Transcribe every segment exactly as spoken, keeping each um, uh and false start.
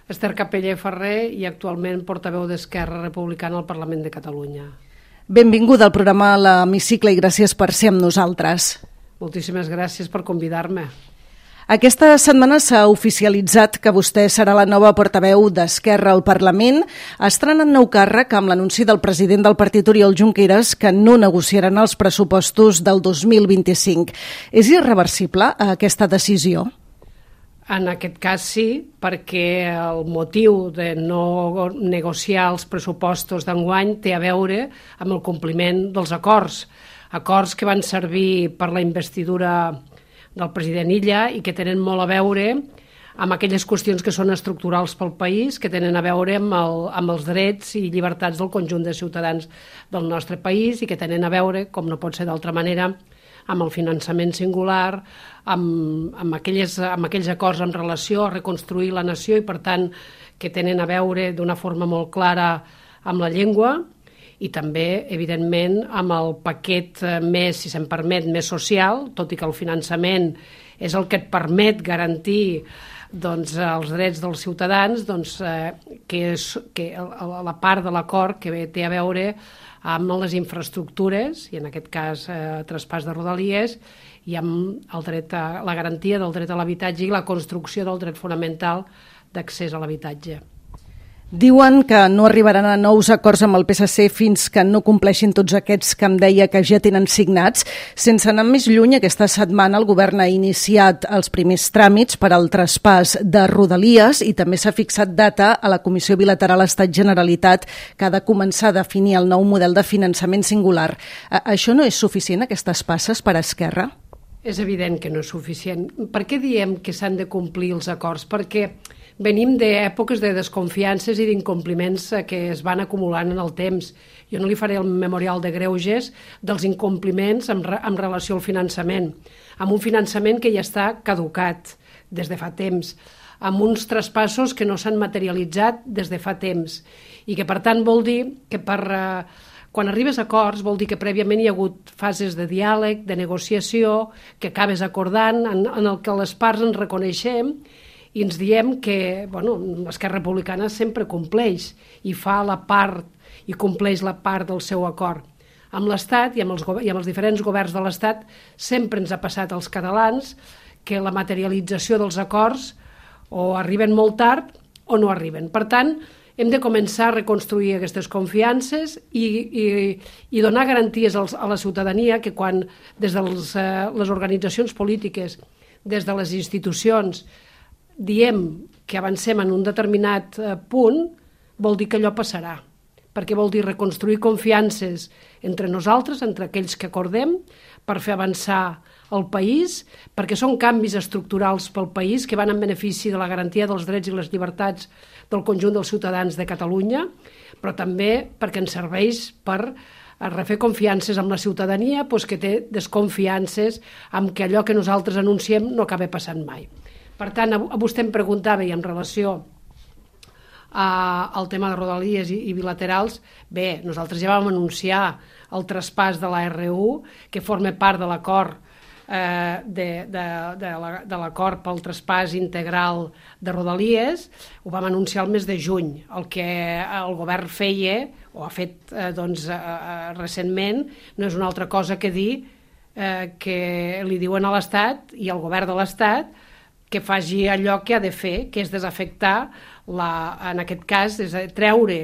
Esther Capella i Ferrer i actualment portaveu d'Esquerra Republicana al Parlament de Catalunya. Benvinguda al programa a l'Hemicicle i gràcies per ser amb nosaltres. Moltíssimes gràcies per convidar-me. Aquesta setmana s'ha oficialitzat que vostè serà la nova portaveu d'Esquerra al Parlament. Estrena nou càrrec amb l'anunci del president del partit, Oriol Junqueras, que no negociaran els pressupostos del dos mil vint-i-cinc. És irreversible aquesta decisió? En aquest cas sí, perquè el motiu de no negociar els pressupostos d'enguany té a veure amb el compliment dels acords. Acords que van servir per la investidura del president Illa i que tenen molt a veure amb aquelles qüestions que són estructurals pel país, que tenen a veure amb, el, amb els drets i llibertats del conjunt de ciutadans del nostre país i que tenen a veure, com no pot ser d'altra manera, amb el finançament singular, amb, amb, aquelles, amb aquells acords en relació a reconstruir la nació i, per tant, que tenen a veure d'una forma molt clara amb la llengua i també, evidentment, amb el paquet més, si se'm permet, més social, tot i que el finançament és el que et permet garantir doncs, els drets dels ciutadans, doncs, eh, que és que la part de l'acord que té a veure amb les infraestructures, i en aquest cas eh, traspàs de Rodalies, i amb el dret a, la garantia del dret a l'habitatge i la construcció del dret fonamental d'accés a l'habitatge. Diuen que no arribaran a nous acords amb el P S C fins que no compleixin tots aquests que em deia que ja tenen signats. Sense anar més lluny, aquesta setmana el govern ha iniciat els primers tràmits per al traspàs de Rodalies i també s'ha fixat data a la Comissió Bilateral Estat-Generalitat que ha de començar a definir el nou model de finançament singular. Això no és suficient, aquestes passes, per a Esquerra? És evident que no és suficient. Per què diem que s'han de complir els acords? Perquè venim d'èpoques de desconfiances i d'incompliments que es van acumulant en el temps. Jo no li faré el memorial de greuges dels incompliments en, re, en relació al finançament, amb un finançament que ja està caducat des de fa temps, amb uns traspassos que no s'han materialitzat des de fa temps i que, per tant, vol dir que per, eh, quan arribes a acords vol dir que prèviament hi ha hagut fases de diàleg, de negociació, que acabes acordant, en, en el que les parts ens reconeixem i ens diem que bueno, Esquerra Republicana sempre compleix i fa la part i compleix la part del seu acord. Amb l'Estat i amb els, i amb els diferents governs de l'Estat sempre ens ha passat als catalans que la materialització dels acords o arriben molt tard o no arriben. Per tant, hem de començar a reconstruir aquestes confiances i, i, i donar garanties als, a la ciutadania que quan des de les, eh, les organitzacions polítiques, des de les institucions, diem que avancem en un determinat punt, vol dir que allò passarà, perquè vol dir reconstruir confiances entre nosaltres, entre aquells que acordem, per fer avançar el país, perquè són canvis estructurals pel país que van en benefici de la garantia dels drets i les llibertats del conjunt dels ciutadans de Catalunya, però també perquè ens serveix per refer confiances amb la ciutadania doncs que té desconfiances amb que allò que nosaltres anunciem no acaba passant mai. Per tant, a vostè em preguntava, i en relació a, al tema de Rodalies i, i bilaterals, bé, nosaltres ja vam anunciar el traspàs de la R U, que forma part de l'acord eh, de, de, de, la, de l'acord pel traspàs integral de Rodalies, ho vam anunciar el mes de juny. El que el govern feia, o ha fet eh, doncs, eh, recentment, no és una altra cosa que dir eh, que li diuen a l'Estat i al govern de l'Estat que faci allò que ha de fer, que és desafectar, la, en aquest cas, és treure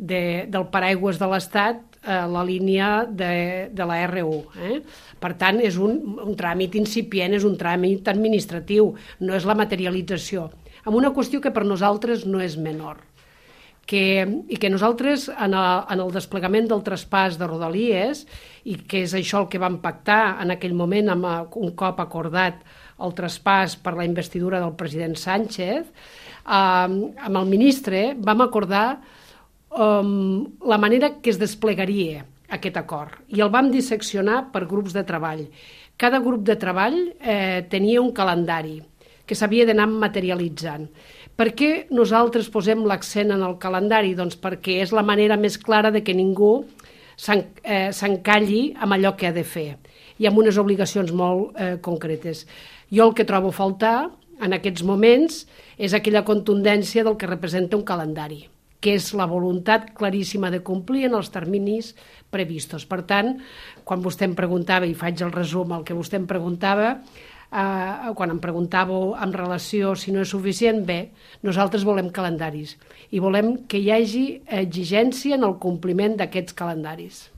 de, del paraigües de l'Estat eh, la línia de, de la R U. Eh? Per tant, és un, un tràmit incipient, és un tràmit administratiu, no és la materialització, amb una qüestió que per nosaltres no és menor. Que, i que nosaltres en el, en el desplegament del traspàs de Rodalies, i que és això el que vam pactar en aquell moment amb un cop acordat el traspàs per la investidura del president Sánchez, eh, amb el ministre vam acordar eh, la manera que es desplegaria aquest acord i el vam disseccionar per grups de treball. Cada grup de treball eh, tenia un calendari que s'havia d'anar materialitzant. Per què nosaltres posem l'accent en el calendari? Doncs perquè és la manera més clara de que ningú s'encalli amb allò que ha de fer i amb unes obligacions molt eh, concretes. Jo el que trobo a faltar en aquests moments és aquella contundència del que representa un calendari, que és la voluntat claríssima de complir en els terminis previstos. Per tant, quan vostè em preguntava, i faig el resum al que vostè em preguntava, eh, quan em preguntàveu en relació si no és suficient, bé, nosaltres volem calendaris i volem que hi hagi exigència en el compliment d'aquests calendaris.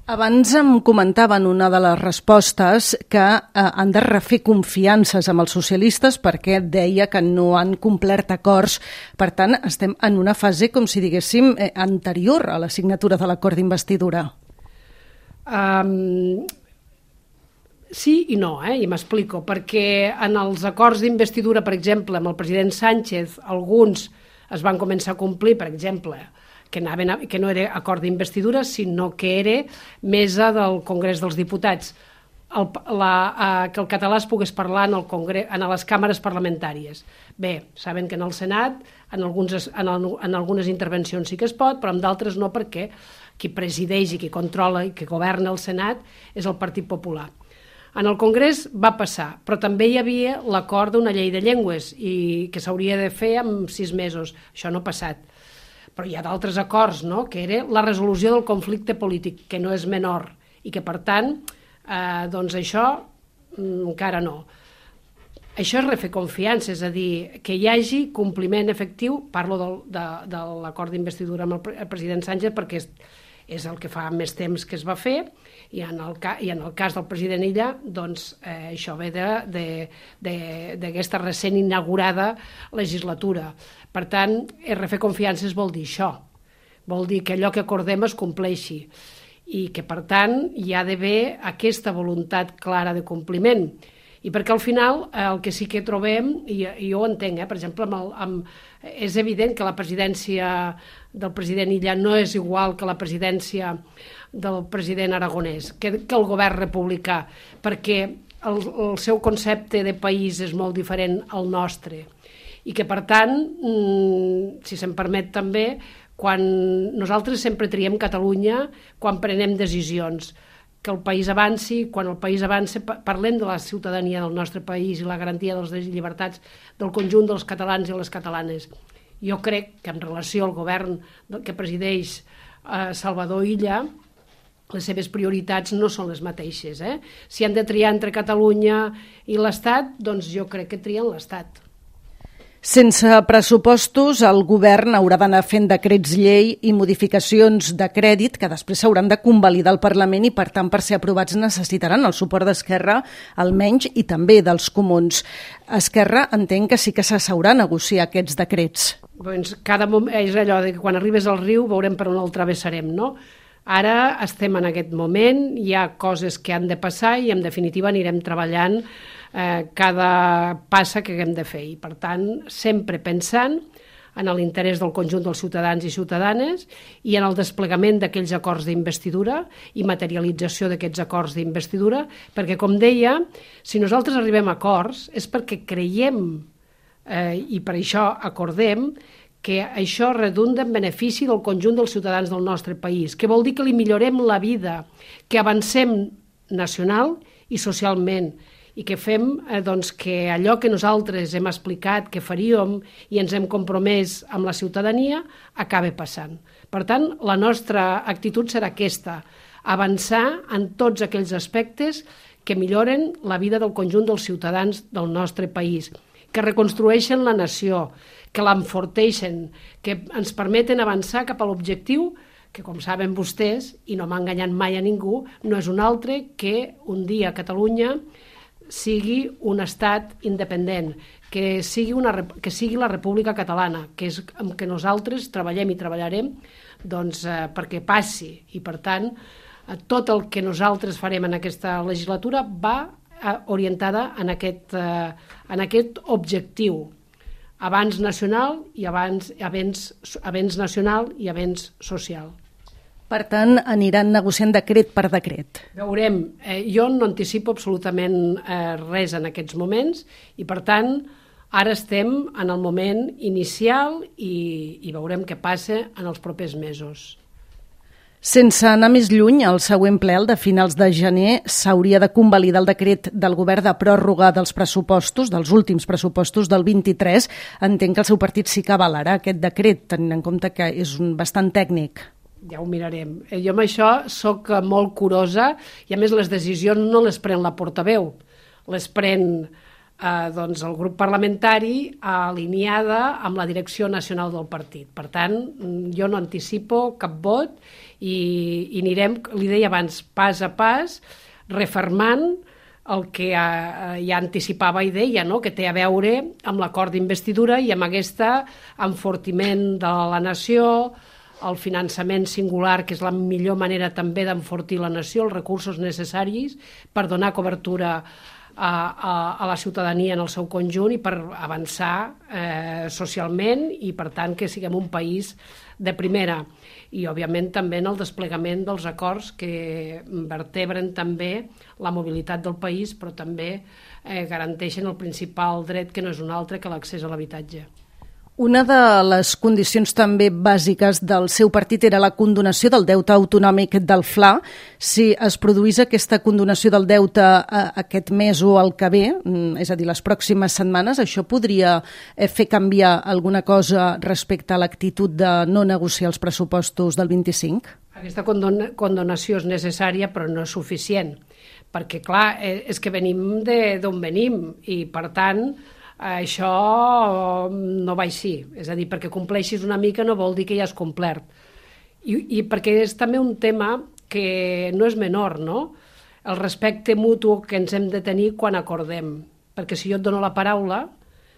Abans em comentaven una de les respostes que eh, han de refer confiances amb els socialistes perquè deia que no han complert acords. Per tant, estem en una fase, com si diguéssim, eh, anterior a la signatura de l'acord d'investidura. Um, sí i no, eh? I m'explico, perquè en els acords d'investidura, per exemple, amb el president Sánchez, alguns es van començar a complir, per exemple, que, anaven a, que no era acord d'investidura, sinó que era mesa del Congrés dels Diputats, el, la, eh, que el català es pogués parlar en, el Congrés, en les càmeres parlamentàries. Bé, saben que en el Senat, en, alguns, en, el, en algunes intervencions sí que es pot, però en d'altres no, perquè qui presideix i qui controla i qui governa el Senat és el Partit Popular. En el Congrés va passar, però també hi havia l'acord d'una llei de llengües i que s'hauria de fer en sis mesos. Això no ha passat. Però hi ha d'altres acords, no?, que era la resolució del conflicte polític, que no és menor, i que, per tant, eh, doncs això mm, encara no. Això és refer confiança, és a dir, que hi hagi compliment efectiu, parlo del, de, de l'acord d'investidura amb el, el president Sánchez, perquè és, és el que fa més temps que es va fer, i en el, ca, i en el cas del president Illa, doncs eh, això ve d'aquesta recent inaugurada legislatura. Per tant, refer confiances vol dir això, vol dir que allò que acordem es compleixi i que, per tant, hi ha d'haver aquesta voluntat clara de compliment. I perquè al final el que sí que trobem, i, i jo ho entenc, eh, per exemple, amb el, amb, és evident que la presidència del president Illa no és igual que la presidència del president Aragonès, que, que el govern republicà, perquè el, el seu concepte de país és molt diferent al nostre. I que, per tant, si se'm permet també, quan nosaltres sempre triem Catalunya quan prenem decisions, que el país avanci, quan el país avanci parlem de la ciutadania del nostre país i la garantia de les llibertats del conjunt dels catalans i les catalanes. Jo crec que en relació al govern que presideix eh, Salvador Illa, les seves prioritats no són les mateixes. Eh? Si han de triar entre Catalunya i l'Estat, doncs jo crec que trien l'Estat. Sense pressupostos, el govern haurà d'anar fent decrets llei i modificacions de crèdit que després s'hauran de convalidar al Parlament i, per tant, per ser aprovats necessitaran el suport d'Esquerra, almenys, i també dels comuns. Esquerra entén que sí que s'asseurà a negociar aquests decrets. Doncs cada moment, és allò de que quan arribes al riu veurem per on el travessarem, no? Ara estem en aquest moment, hi ha coses que han de passar i, en definitiva, anirem treballant Eh, cada passa que haguem de fer. I, per tant, sempre pensant en l'interès del conjunt dels ciutadans i ciutadanes i en el desplegament d'aquells acords d'investidura i materialització d'aquests acords d'investidura, perquè, com deia, si nosaltres arribem a acords és perquè creiem eh, i per això acordem que això redunda en benefici del conjunt dels ciutadans del nostre país, que vol dir que li millorem la vida, que avancem nacional i socialment, i que fem eh, doncs, que allò que nosaltres hem explicat que faríem i ens hem compromès amb la ciutadania acabe passant. Per tant, la nostra actitud serà aquesta, avançar en tots aquells aspectes que milloren la vida del conjunt dels ciutadans del nostre país, que reconstrueixen la nació, que l'enforteixen, que ens permeten avançar cap a l'objectiu que, com saben vostès, i no m'ha enganyat mai a ningú, no és un altre que un dia Catalunya sigui un estat independent, que sigui, una, que sigui la República Catalana, que és amb què nosaltres treballem i treballarem doncs, eh, perquè passi. I, per tant, eh, tot el que nosaltres farem en aquesta legislatura va eh, orientada en aquest, eh, en aquest objectiu. Avanç nacional i avanç, avenç, avenç nacional i avenç social. Per tant, aniran negociant decret per decret. Veurem. Eh, jo no anticipo absolutament eh, res en aquests moments i, per tant, ara estem en el moment inicial i, i veurem què passa en els propers mesos. Sense anar més lluny, el següent ple, el de finals de gener, s'hauria de convalidar el decret del govern de pròrroga dels pressupostos, dels últims pressupostos del vint-i-tres. Entenc que el seu partit sí que avalarà aquest decret, tenint en compte que és un bastant tècnic. Ja ho mirarem. Jo amb això sóc molt curosa i a més les decisions no les pren la portaveu, les pren eh, doncs el grup parlamentari alineada amb la direcció nacional del partit. Per tant, jo no anticipo cap vot i, i anirem, li deia abans, pas a pas, refermant el que ja, ja anticipava i deia, no? Que té a veure amb l'acord d'investidura i amb aquesta enfortiment de la nació, el finançament singular, que és la millor manera també d'enfortir la nació, els recursos necessaris per donar cobertura a, a, a la ciutadania en el seu conjunt i per avançar eh, socialment i, per tant, que siguem un país de primera. I, òbviament, també en el desplegament dels acords que vertebren també la mobilitat del país, però també eh, garanteixen el principal dret, que no és un altre que l'accés a l'habitatge. Una de les condicions també bàsiques del seu partit era la condonació del deute autonòmic del F L A. Si es produís aquesta condonació del deute aquest mes o el que ve, és a dir, les pròximes setmanes, això podria fer canviar alguna cosa respecte a l'actitud de no negociar els pressupostos del vint-i-cinc? Aquesta condonació és necessària, però no és suficient, perquè, clar, és que venim d'on venim i, per tant, això no va així, és a dir, perquè compleixis una mica no vol dir que ja has complert. I, i perquè és també un tema que no és menor, no? El respecte mutu que ens hem de tenir quan acordem, perquè si jo et dono la paraula,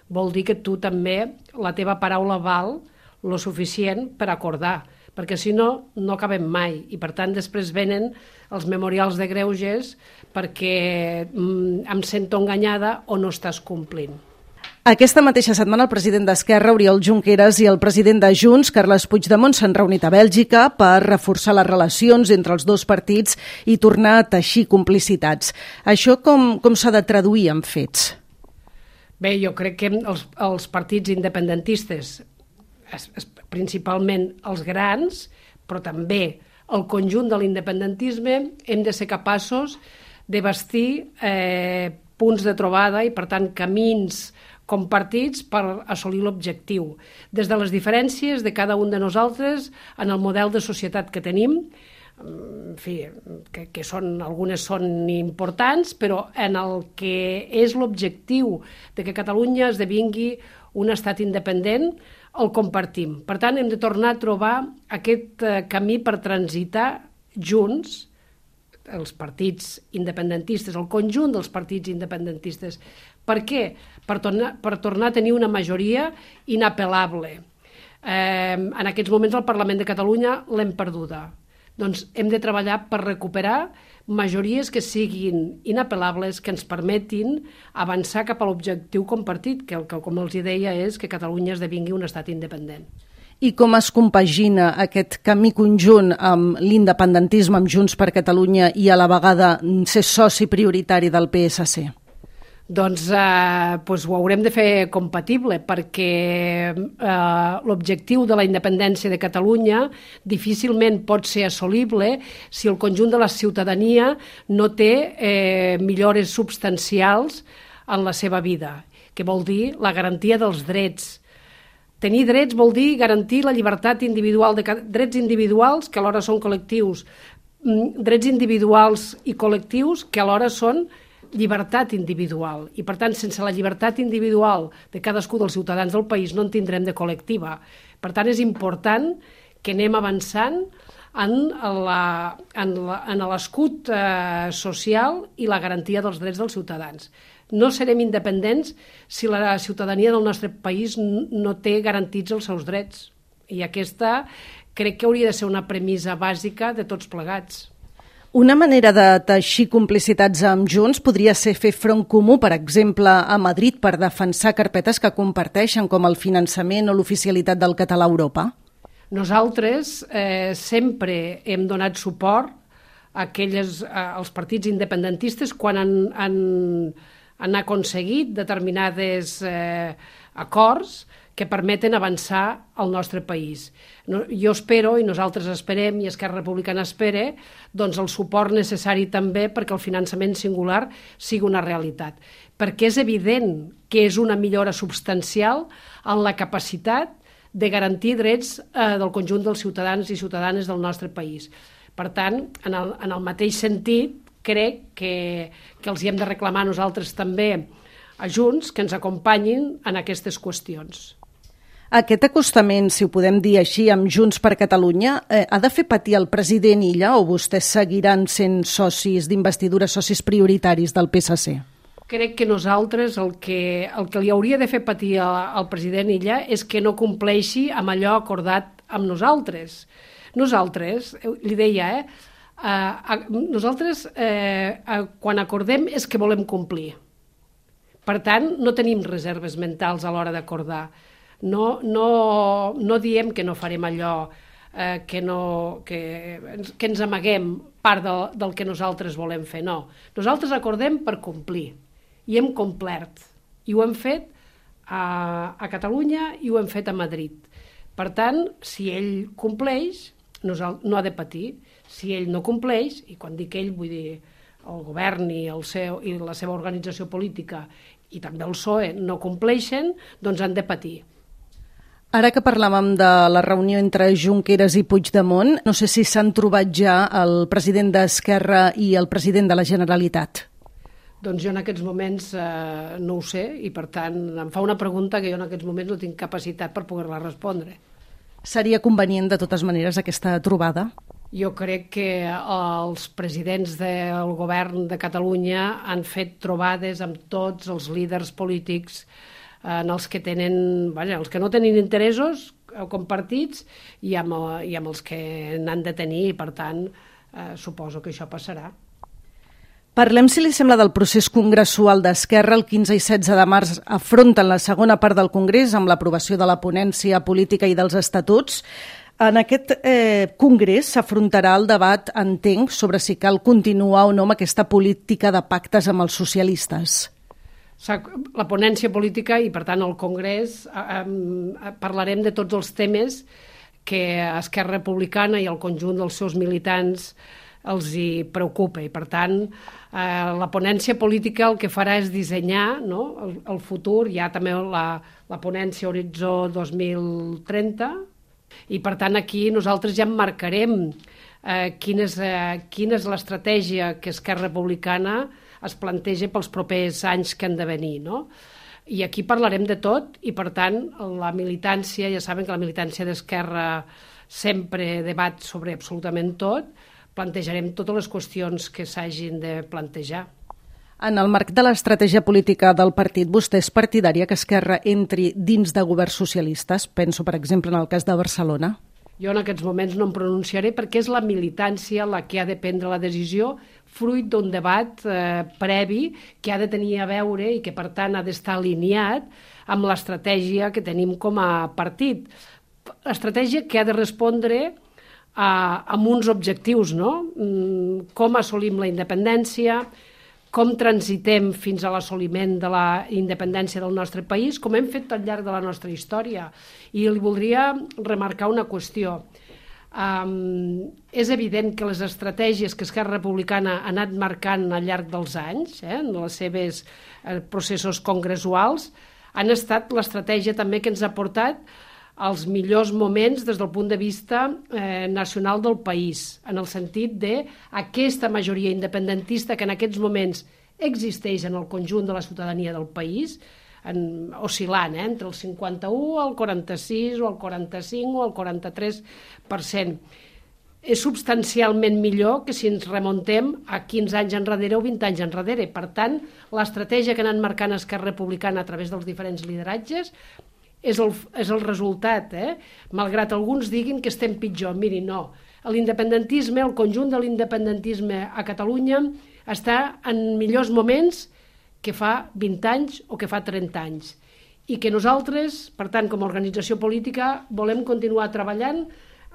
vol dir que tu també, la teva paraula val lo suficient per acordar, perquè si no, no acabem mai, i per tant després venen els memorials de greuges perquè mm, em sento enganyada o no estàs complint. Aquesta mateixa setmana el president d'Esquerra, Oriol Junqueras, i el president de Junts, Carles Puigdemont, s'han reunit a Bèlgica per reforçar les relacions entre els dos partits i tornar a teixir complicitats. Això com, com s'ha de traduir en fets? Bé, jo crec que els, els partits independentistes, es, es, principalment els grans, però també el conjunt de l'independentisme, hem de ser capaços de bastir eh, punts de trobada i, per tant, camins compartits per assolir l'objectiu. Des de les diferències de cada un de nosaltres en el model de societat que tenim, en fi, que, que són, algunes són importants, però en el que és l'objectiu de que Catalunya esdevingui un estat independent, el compartim. Per tant, hem de tornar a trobar aquest camí per transitar junts els partits independentistes, el conjunt dels partits independentistes. Per què? Per tornar, per tornar a tenir una majoria inapel·lable. Eh, en aquests moments al Parlament de Catalunya l'hem perduda. Doncs hem de treballar per recuperar majories que siguin inapel·lables, que ens permetin avançar cap a l'objectiu compartit, que, el que com els deia, és que Catalunya esdevingui un estat independent. I com es compagina aquest camí conjunt amb l'independentisme, amb Junts per Catalunya i a la vegada ser soci prioritari del P S C? Doncs, eh, doncs ho haurem de fer compatible, perquè eh, l'objectiu de la independència de Catalunya difícilment pot ser assolible si el conjunt de la ciutadania no té eh, millores substancials en la seva vida, que vol dir la garantia dels drets. Tenir drets vol dir garantir la llibertat individual, de drets individuals que alhora són col·lectius, drets individuals i col·lectius que alhora són llibertat individual. I, per tant, sense la llibertat individual de cadascú dels ciutadans del país no en tindrem de col·lectiva. Per tant, és important que anem avançant en la, en la, en l'escut eh, social i la garantia dels drets dels ciutadans. No serem independents si la ciutadania del nostre país no té garantits els seus drets. I aquesta crec que hauria de ser una premissa bàsica de tots plegats. Una manera de teixir complicitats amb Junts podria ser fer front comú, per exemple, a Madrid per defensar carpetes que comparteixen, com el finançament o l'oficialitat del català a Europa? Nosaltres eh, sempre hem donat suport a aquelles, a, als partits independentistes quan han, han, han aconseguit determinades eh, acords que permeten avançar al nostre país. Jo espero, i nosaltres esperem, i Esquerra Republicana espera, doncs el suport necessari també perquè el finançament singular sigui una realitat. Perquè és evident que és una millora substancial en la capacitat de garantir drets eh, del conjunt dels ciutadans i ciutadanes del nostre país. Per tant, en el, en el mateix sentit, crec que, que els hi hem de reclamar nosaltres també a Junts que ens acompanyin en aquestes qüestions. Aquest acostament, si ho podem dir així, amb Junts per Catalunya, eh, ha de fer patir el president Illa o vostès seguiran sent socis d'investidura, socis prioritaris del P S C? Crec que nosaltres el que, el que li hauria de fer patir al president Illa és que no compleixi amb allò acordat amb nosaltres. Nosaltres, li deia, eh, eh, nosaltres eh, quan acordem és que volem complir. Per tant, no tenim reserves mentals a l'hora d'acordar. No, no, no diem que no farem allò, eh, que, no, que, que ens amaguem part de, del que nosaltres volem fer, no. Nosaltres acordem per complir, i hem complert, i ho hem fet a, a Catalunya i ho hem fet a Madrid. Per tant, si ell compleix, no ha de patir. Si ell no compleix, i quan dic ell vull dir el govern i, el seu, i la seva organització política i també el P S O E no compleixen, doncs han de patir. Ara que parlàvem de la reunió entre Junqueras i Puigdemont, no sé si s'han trobat ja el president d'Esquerra i el president de la Generalitat. Doncs jo en aquests moments eh, no ho sé i per tant em fa una pregunta que jo en aquests moments no tinc capacitat per poder-la respondre. Seria convenient de totes maneres aquesta trobada? Jo crec que els presidents del govern de Catalunya han fet trobades amb tots els líders polítics en els que tenen, vaja, els que no tenen interessos compartits i amb, i amb els que n'han de tenir, i per tant eh, suposo que això passarà. Parlem, si li sembla, del procés congressual d'Esquerra. El quinze i setze de març afronten la segona part del Congrés amb l'aprovació de la ponència política i dels estatuts. En aquest eh, congrés s'afrontarà el debat, entenc, sobre si cal continuar o no amb aquesta política de pactes amb els socialistes. La ponència política i, per tant, el Congrés, eh, parlarem de tots els temes que Esquerra Republicana i el conjunt dels seus militants els hi preocupa. I, per tant, eh, la ponència política el que farà és dissenyar, no?, el, el futur. Hi ha també la, la ponència Horitzó dos mil trenta, i, per tant, aquí nosaltres ja emmarcarem eh, quina és, eh, quina és l'estratègia que Esquerra Republicana es planteja pels propers anys que han de venir, no? I aquí parlarem de tot i, per tant, la militància, ja saben que la militància d'Esquerra sempre debat sobre absolutament tot, plantejarem totes les qüestions que s'hagin de plantejar. En el marc de l'estratègia política del partit, vostè és partidària que Esquerra entri dins de governs socialistes? Penso, per exemple, en el cas de Barcelona. Jo en aquests moments no em pronunciaré perquè és la militància la que ha de prendre la decisió fruit d'un debat eh, previ que ha de tenir a veure i que, per tant, ha d'estar alineat amb l'estratègia que tenim com a partit. Estratègia que ha de respondre a, amb uns objectius, no? Com assolim la independència, com transitem fins a l'assoliment de la independència del nostre país, com hem fet al llarg de la nostra història. I li voldria remarcar una qüestió. Um, és evident que les estratègies que Esquerra Republicana ha anat marcant al llarg dels anys, eh, en els seus eh, processos congressuals, han estat l'estratègia també que ens ha portat als millors moments des del punt de vista eh, nacional del país, en el sentit d'aquesta majoria independentista que en aquests moments existeix en el conjunt de la ciutadania del país, en, oscil·lant eh, entre el cinquanta-u, el quaranta-sis, o el quaranta-cinc o el quaranta-tres per cent. És substancialment millor que si ens remuntem a quinze anys enrere o vint anys enrere. Per tant, l'estratègia que ha anat marcant Esquerra Republicana a través dels diferents lideratges és el, és el resultat, eh? Malgrat alguns diguin que estem pitjor. Miri, no. L'independentisme, el conjunt de l'independentisme a Catalunya està en millors moments que fa vint anys o que fa trenta anys. I que nosaltres, per tant, com a organització política, volem continuar treballant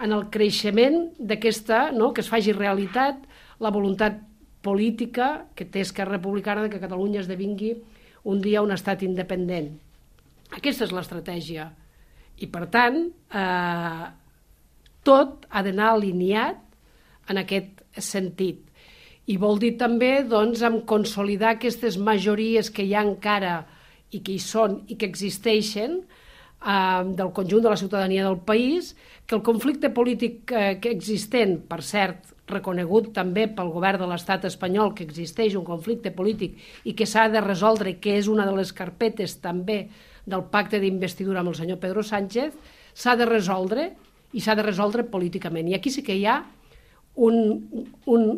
en el creixement d'aquesta, no?, que es faci realitat la voluntat política que té Esquerra Republicana de que Catalunya esdevingui un dia un estat independent. Aquesta és l'estratègia. I, per tant, eh, tot ha d'anar alineat en aquest sentit. I vol dir també doncs, en consolidar aquestes majories que hi ha encara i que hi són i que existeixen eh, del conjunt de la ciutadania del país, que el conflicte polític eh, que existent, per cert, reconegut també pel govern de l'estat espanyol que existeix un conflicte polític i que s'ha de resoldre, que és una de les carpetes també del pacte d'investidura amb el senyor Pedro Sánchez, s'ha de resoldre i s'ha de resoldre políticament. I aquí sí que hi ha un, un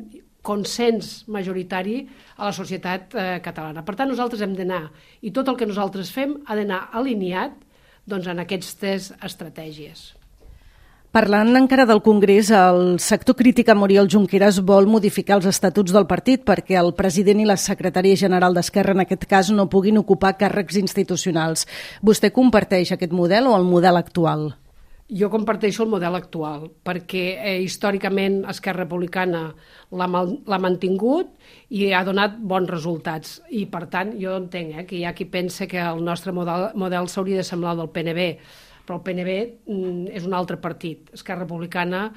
consens majoritari a la societat eh, catalana. Per tant, nosaltres hem d'anar, i tot el que nosaltres fem ha d'anar alineat doncs, en aquestes estratègies. Parlant encara del Congrés, el sector crític a Oriol Junqueras vol modificar els estatuts del partit perquè el president i la secretària general d'Esquerra, en aquest cas, no puguin ocupar càrrecs institucionals. Vostè comparteix aquest model o el model actual? Jo comparteixo el model actual, perquè eh, històricament Esquerra Republicana l'ha mantingut i ha donat bons resultats. I, per tant, jo entenc eh, que hi ha qui pensa que el nostre model, model s'hauria de semblar al del P N B, però el P N B mm, és un altre partit. Esquerra Republicana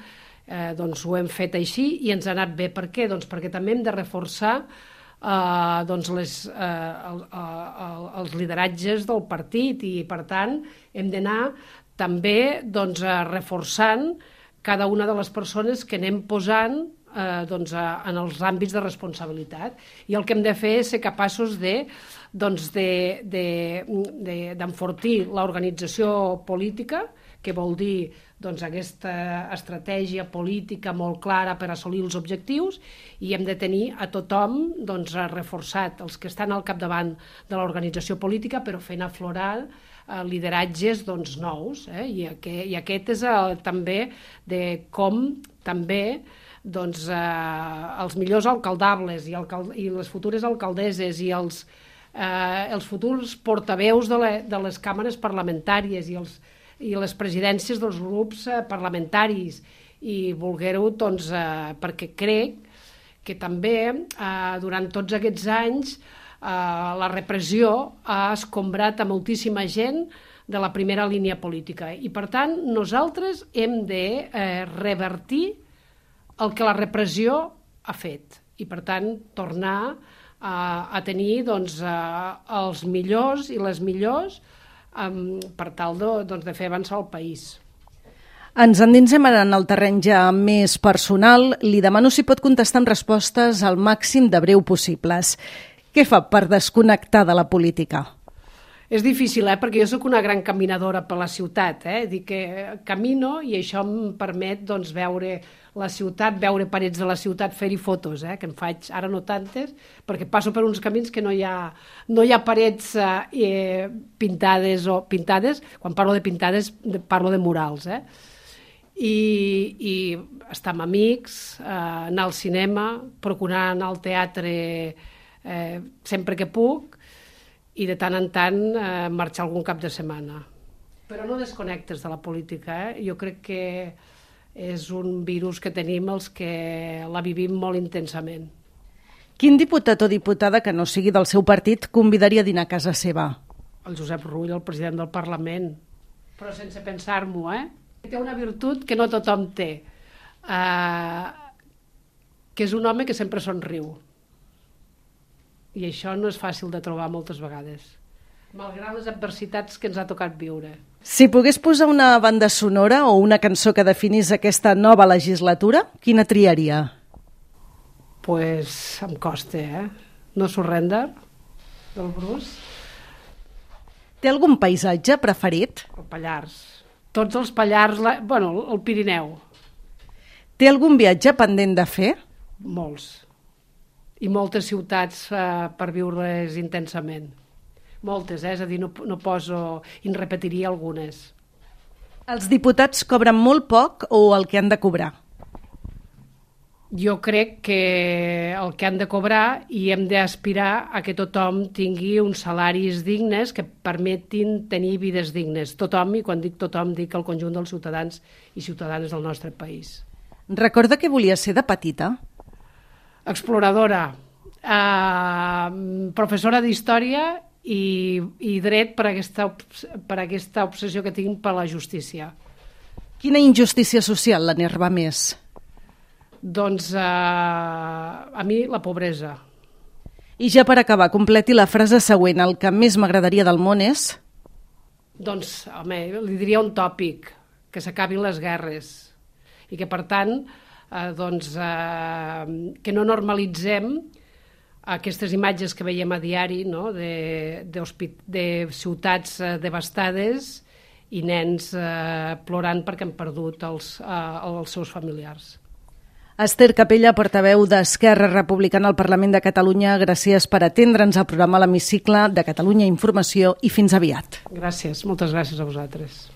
eh, doncs ho hem fet així i ens ha anat bé. Per què? Doncs perquè també hem de reforçar eh, doncs les, eh, el, el, els lideratges del partit i, per tant, hem d'anar també doncs, reforçant cada una de les persones que anem posant eh, doncs, en els àmbits de responsabilitat. I el que hem de fer és ser capaços de doncs de, de, de, d'enfortir l'organització política, que vol dir doncs, aquesta estratègia política molt clara per assolir els objectius, i hem de tenir a tothom doncs, reforçat, els que estan al capdavant de l'organització política, però fent aflorar eh, lideratges doncs, nous. Eh? I, aquest, I aquest és el, també de com també doncs, eh, els millors alcaldables i, alcal, i les futures alcaldesses i els Eh, els futurs portaveus de, la, de les càmeres parlamentàries i, els, i les presidències dels grups eh, parlamentaris i voler-ho, doncs, eh, perquè crec que també eh, durant tots aquests anys eh, la repressió ha escombrat a moltíssima gent de la primera línia política i, per tant, nosaltres hem de eh, revertir el que la repressió ha fet i, per tant, tornar a, a tenir doncs, a, els millors i les millors um, per tal de, doncs, de fer avançar el país. Ens endinsem ara en el terreny ja més personal. Li demano si pot contestar amb respostes al màxim de breu possibles. Què fa per desconnectar de la política? És difícil, eh? Perquè jo sóc una gran caminadora per la ciutat. Eh? Dic que camino i això em permet doncs, veure la ciutat, veure parets de la ciutat, fer-hi fotos, eh? Que en faig ara no tantes, perquè passo per uns camins que no hi ha, no hi ha parets eh, pintades o pintades. Quan parlo de pintades parlo de murals. Eh? I, i estar amb amics, eh, anar al cinema, procurar anar al teatre eh, sempre que puc, i de tant en tant eh, marxar algun cap de setmana. Però no desconnectes de la política. Eh? Jo crec que és un virus que tenim els que la vivim molt intensament. Quin diputat o diputada que no sigui del seu partit convidaria a dinar a casa seva? El Josep Rull, el president del Parlament. Però sense pensar-m'ho, eh? Té una virtut que no tothom té, eh, que és un home que sempre somriu. I això no és fàcil de trobar moltes vegades, malgrat les adversitats que ens ha tocat viure. Si pogués posar una banda sonora o una cançó que definís aquesta nova legislatura, quina triaria? Pues em costa, eh? No Surrender, del Bruce. Té algun paisatge preferit? El Pallars. Tots els Pallars, la... bueno, el Pirineu. Té algun viatge pendent de fer? Molts. I moltes ciutats eh, per viure-les intensament. Moltes, eh? És a dir, no, no poso... I en repetiria algunes. Els diputats cobren molt poc o el que han de cobrar? Jo crec que el que han de cobrar i hem d'aspirar a que tothom tingui uns salaris dignes que permetin tenir vides dignes. Tothom, i quan dic tothom dic el conjunt dels ciutadans i ciutadanes del nostre país. Recorda que volia ser de petita? Exploradora, eh, professora d'història i, i dret per aquesta, per aquesta obsessió que tinc per la justícia. Quina injustícia social l'enerva més? Doncs eh, a mi la pobresa. I ja per acabar, completi la frase següent. El que més m'agradaria del món és... Doncs, home, li diria un tòpic, que s'acabin les guerres i que, per tant, eh, doncs, eh, que no normalitzem aquestes imatges que veiem a diari, no? de, de, de ciutats eh, devastades i nens eh, plorant perquè han perdut els, eh, els seus familiars. Esther Capella, portaveu d'Esquerra Republicana al Parlament de Catalunya, gràcies per atendre'ns al programa L'Hemicicle de Catalunya Informació i fins aviat. Gràcies, moltes gràcies a vosaltres.